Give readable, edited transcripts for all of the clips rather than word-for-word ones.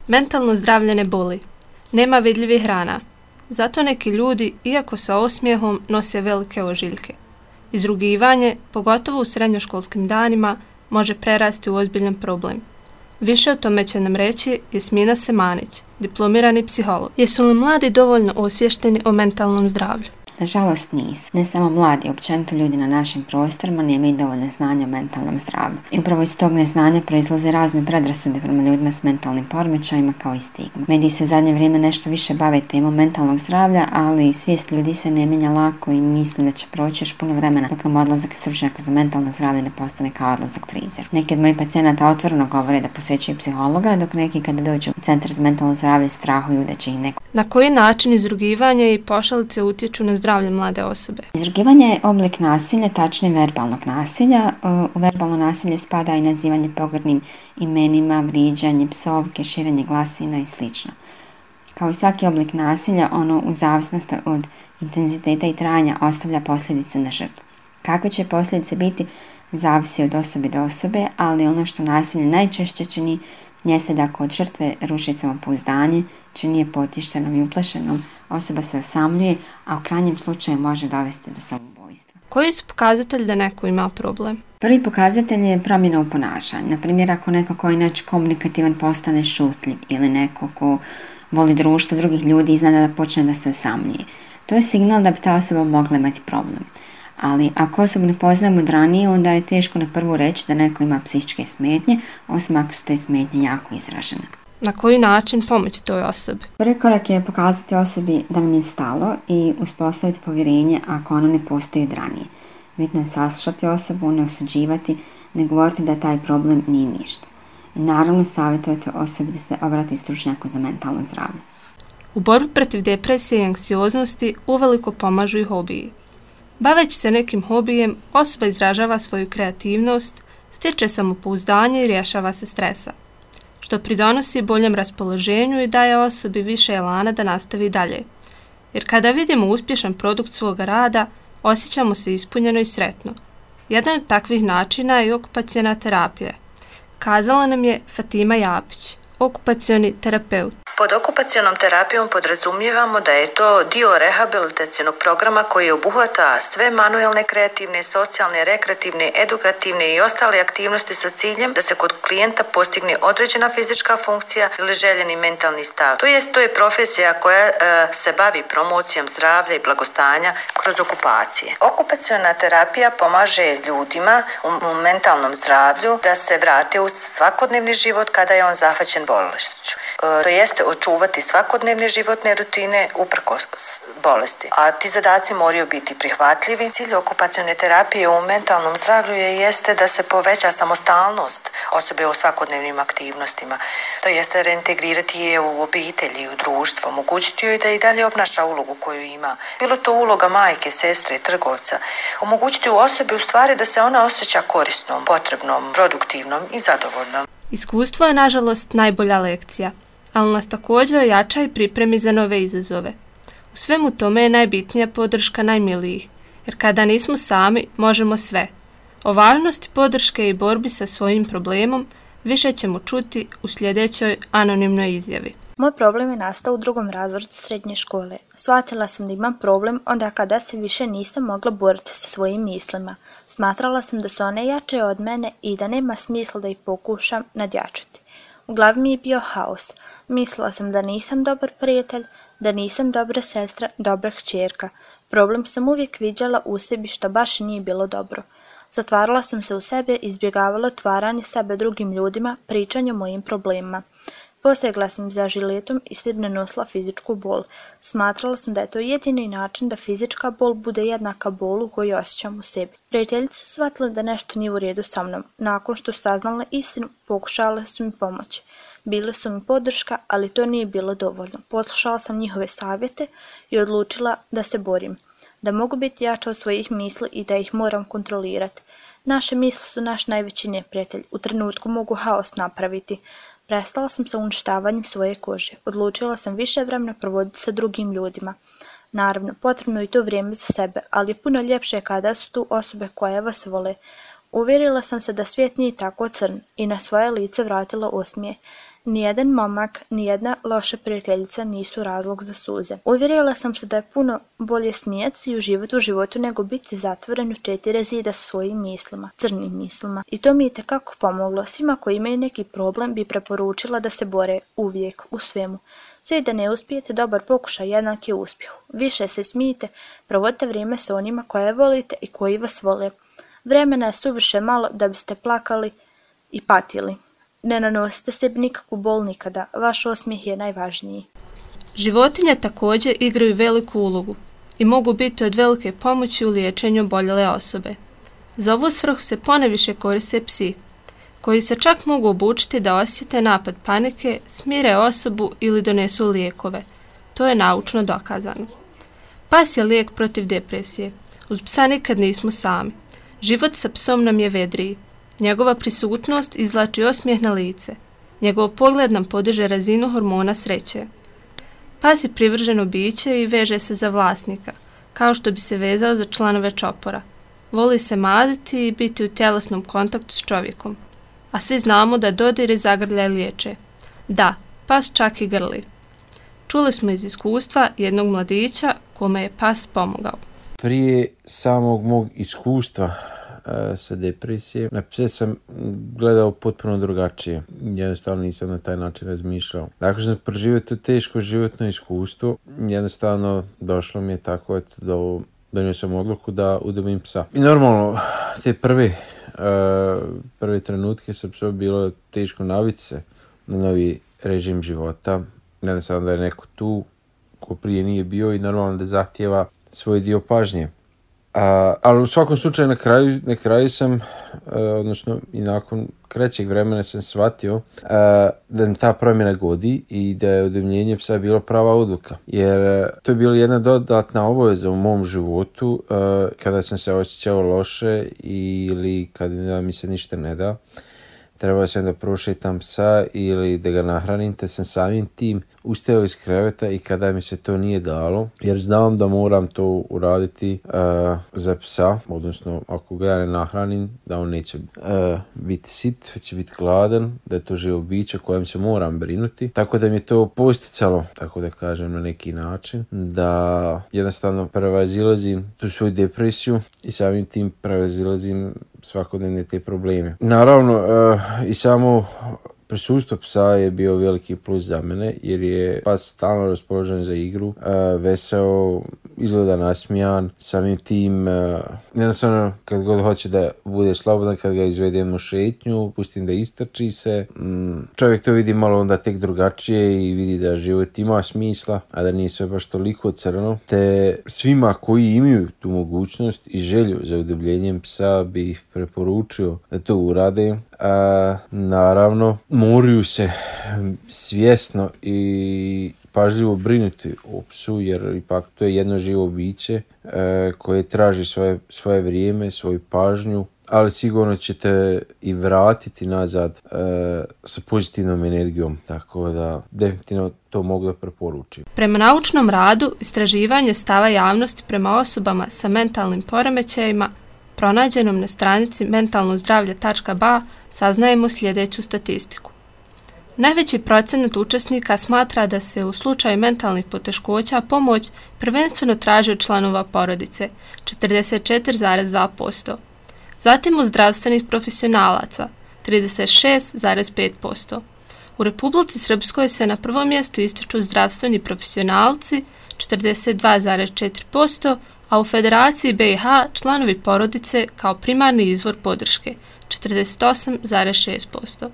Mentalno zdravlje ne boli. Nema vidljivih rana. Zato neki ljudi, iako sa osmijehom, nose velike ožiljke. Izrugivanje, pogotovo u srednjoškolskim danima, može prerasti u ozbiljan problem. Više o tome će nam reći Jasmina Semanić, diplomirani psiholog. Jesu li mladi dovoljno osviješteni o mentalnom zdravlju? Nažalost nisu. Ne samo mladi, općenito ljudi na našim prostorima nemaju dovoljno znanja o mentalnom zdravlju. I upravo iz tog neznanja proizlaze razne predrasude prema ljudima s mentalnim poremećajima kao i stigma. Mediji se u zadnje vrijeme nešto više bave temom mentalnog zdravlja, ali svijest ljudi se ne mijenja lako i misle da će proći još puno vremena dok nam odlazak stručnjaka za mentalno zdravlje ne postane kao odlazak frizeru. Neki od mojih pacijenata otvoreno govore da posjećuju psihologa, dok neki kada dođu u centar za mentalno zdravlje strahuju da će ih neko. Na koji način izrugivanje i pošalice utječu na zdravlje mlade osobe? Izrugivanje je oblik nasilja, tačnije verbalnog nasilja. U verbalno nasilje spada i nazivanje pogrdnim imenima, vrijeđanje, psovke, širenje glasina i sl. Kao i svaki oblik nasilja, ono u zavisnosti od intenziteta i trajanja ostavlja posljedice na žrtvu. Kakve će posljedice biti, zavisi od osobe do osobe, ali ono što nasilje najčešće čini jeste da kod žrtve ruši samopouzdanje, čini je potištenom i uplašenom, osoba se osamljuje, a u krajnjem slučaju može dovesti do samoubojstva. Koji su pokazatelji da neko ima problem? Prvi pokazatelj je promjena u ponašanju. Na primjer, ako neko koji je inače komunikativan postane šutljiv ili neko ko voli društvo drugih ljudi iznenada da počne da se osamljuje. To je signal da bi ta osoba mogla imati problem. Ali ako osobu ne poznajemo od ranije, onda je teško na prvu reći da neko ima psihičke smetnje, osim ako su te smetnje jako izražene. Na koji način pomoći toj osobi? Prvi korak je pokazati osobi da nam je stalo i uspostaviti povjerenje ako ono ne postoji od ranije. Bitno je saslušati osobu, ne osuđivati, ne govoriti da taj problem nije ništa. I naravno savjetovati osobi da se obrati stručnjaku za mentalno zdravlje. U borbi protiv depresije i anksioznosti uveliko pomažu i hobiji. Baveći se nekim hobijem, osoba izražava svoju kreativnost, stiče samopouzdanje i rješava se stresa, što pridonosi boljem raspoloženju i daje osobi više elana da nastavi dalje. Jer kada vidimo uspješan produkt svoga rada, osjećamo se ispunjeno i sretno. Jedan od takvih načina je okupaciona terapija. Kazala nam je Fatima Japić, okupacioni terapeut. Pod okupacionom terapijom podrazumijevamo da je to dio rehabilitacionog programa koji obuhvata sve manuelne, kreativne, socijalne, rekreativne, edukativne i ostale aktivnosti sa ciljem da se kod klijenta postigne određena fizička funkcija ili željeni mentalni stav. To je profesija koja se bavi promocijom zdravlja i blagostanja kroz okupacije. Okupaciona terapija pomaže ljudima u mentalnom zdravlju da se vrate u svakodnevni život kada je on zahvaćen bolešću. To jeste očuvati svakodnevne životne rutine uprkos bolesti. A ti zadaci moraju biti prihvatljivi. Cilj okupacione terapije u mentalnom zdravlju jeste da se poveća samostalnost osobe u svakodnevnim aktivnostima. To jeste reintegrirati je u obitelji, u društvo, omogućiti joj da i dalje obnaša ulogu koju ima. Bilo to uloga majke, sestre, trgovca. Omogućiti u osobi u stvari da se ona osjeća korisnom, potrebnom, produktivnom i zadovoljnom. Iskustvo je, nažalost, najbolja lekcija, ali nas također jača i pripremi za nove izazove. U svemu tome je najbitnija podrška najmilijih, jer kada nismo sami, možemo sve. O važnosti podrške i borbi sa svojim problemom više ćemo čuti u sljedećoj anonimnoj izjavi. Moj problem je nastao u 2. razredu srednje škole. Shvatila sam da imam problem onda kada se više nisam mogla boriti sa svojim mislima. Smatrala sam da su one jače od mene i da nema smisla da ih pokušam nadjačati. U glavi mi je bio haos. Mislila sam da nisam dobar prijatelj, da nisam dobra sestra, dobra kćerka. Problem sam uvijek viđala u sebi što baš nije bilo dobro. Zatvarala sam se u sebe i izbjegavala otvaranje sebe drugim ljudima, pričanje o mojim problemima. Posegla sam za žiletom i s tim nanosila fizičku bol. Smatrala sam da je to jedini način da fizička bol bude jednaka bolu koju osjećam u sebi. Prijateljice su shvatile da nešto nije u redu sa mnom. Nakon što su saznale istinu, pokušale su mi pomoći. Bile su mi podrška, ali to nije bilo dovoljno. Poslušala sam njihove savjete i odlučila da se borim. Da mogu biti jača od svojih misli i da ih moram kontrolirati. Naše misli su naš najveći neprijatelj. U trenutku mogu haos napraviti. Prestala sam sa uništavanjem svoje kože. Odlučila sam više vremena provoditi sa drugim ljudima. Naravno, potrebno je to vrijeme za sebe, ali je puno ljepše kada su tu osobe koje vas vole. Uvjerila sam se da svijet nije tako crn i na svoje lice vratila osmijeh. nijedan momak, nijedna loša prijateljica nisu razlog za suze. Uvjerila sam se da je puno bolje smijeti se i uživati u životu nego biti zatvoren u 4 zida sa svojim mislima, crnim mislima. I to mi je itekako pomoglo. Svima koji imaju neki problem bi preporučila da se bore uvijek, u svemu. Sve i da ne uspijete, dobar pokušaj jednak je uspjehu. Više se smijte, provodite vrijeme sa onima koje volite i koji vas vole. Vremena je suviše malo da biste plakali i patili. Ne nanosite sebi nikakvu bol nikada, vaš osmijeh je najvažniji. Životinje također igraju veliku ulogu i mogu biti od velike pomoći u liječenju oboljele osobe. Za ovu svrhu se poneviše koriste psi, koji se čak mogu obučiti da osjete napad panike, smire osobu ili donesu lijekove. To je naučno dokazano. Pas je lijek protiv depresije. Uz psa nikad nismo sami. Život sa psom nam je vedriji. Njegova prisutnost izvlači osmijeh na lice. Njegov pogled nam podiže razinu hormona sreće. Pas je privrženo biće i veže se za vlasnika, kao što bi se vezao za članove čopora. Voli se maziti i biti u tjelesnom kontaktu s čovjekom. A svi znamo da dodir i zagrljaj liječe. Da, pas čak i grli. Čuli smo iz iskustva jednog mladića kome je pas pomogao. Prije samog mog iskustva sa depresije, na pse sam gledao potpuno drugačije. Jednostavno nisam na taj način razmišljao. Nakon što sam proživio to teško životno iskustvo, jednostavno došlo mi je tako donio sam odluku da udomim psa. I normalno, te prve trenutke sa psom bilo teško naviti se na novi režim života. Jednostavno da je neko tu ko prije nije bio i normalno da zahtijeva svoj dio pažnje. Ali u svakom slučaju na kraju sam, odnosno i nakon kraćeg vremena sam shvatio da mi ta promjena godi i da je udomljenje psa bilo prava odluka. Jer to je bila jedna dodatna obaveza u mom životu kada sam se osjećao loše ili kada mi se ništa ne da. Trebao sam da prošetam psa ili da ga nahranim, te sam samim tim ustajao iz kreveta i kada mi se to nije dalo, jer znam da moram to uraditi za psa, odnosno ako ga ja ne nahranim, da on neće biti sit, već će biti gladan, da je to živo biće kojem se moram brinuti. Tako da mi je to posticalo, tako da kažem na neki način, da jednostavno prevazilazim tu svoju depresiju i samim tim prevazilazim svakodnevne te probleme. Naravno, i samo prisustvo psa je bio veliki plus za mene, jer je pas stalno raspoložen za igru, veseo, izgleda nasmijan, samim tim jednostavno kad god hoće da bude slobodan, kad ga izvedem u šetnju, pustim da istrči se, čovjek to vidi malo onda tek drugačije i vidi da život ima smisla, a da nije sve baš toliko crno. Te svima koji imaju tu mogućnost i želju za udomljenjem psa bi ih preporučio da to urade. Naravno, moraju se svjesno i pažljivo brinuti o psu, jer ipak to je jedno živo biće koje traži svoje vrijeme, svoju pažnju, ali sigurno ćete i vratiti nazad sa pozitivnom energijom, tako da definitivno to mogu da preporučim. Prema naučnom radu, istraživanje stava javnosti prema osobama sa mentalnim poremećajima pronađenom na stranici mentalnozdravlje.ba saznajemo sljedeću statistiku. Najveći procenat učesnika smatra da se u slučaju mentalnih poteškoća pomoć prvenstveno traži od članova porodice, 44,2%. Zatim od zdravstvenih profesionalaca, 36,5%. U Republici Srpskoj se na prvom mjestu ističu zdravstveni profesionalci, 42,4%, a u Federaciji BiH članovi porodice kao primarni izvor podrške, 48,6%.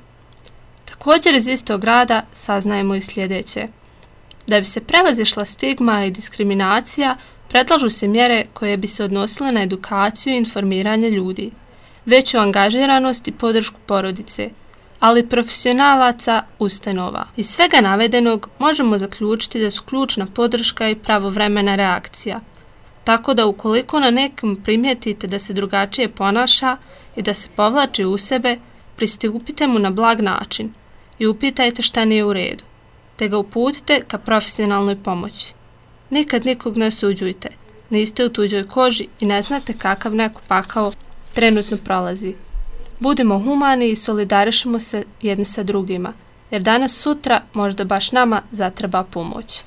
Također iz istog rada saznajemo i sljedeće. Da bi se prevazišla stigma i diskriminacija, predlažu se mjere koje bi se odnosile na edukaciju i informiranje ljudi, veću angažiranost i podršku porodice, ali profesionalaca ustanova. Iz svega navedenog možemo zaključiti da su ključna podrška i pravovremena reakcija. Tako da ukoliko na nekom primijetite da se drugačije ponaša i da se povlači u sebe, pristupite mu na blag način i upitajte šta nije u redu, te ga uputite ka profesionalnoj pomoći. Nikad nikog ne osuđujte, niste u tuđoj koži i ne znate kakav neko pakao trenutno prolazi. Budimo humani i solidarišemo se jedni sa drugima, jer danas sutra možda baš nama zatreba pomoć.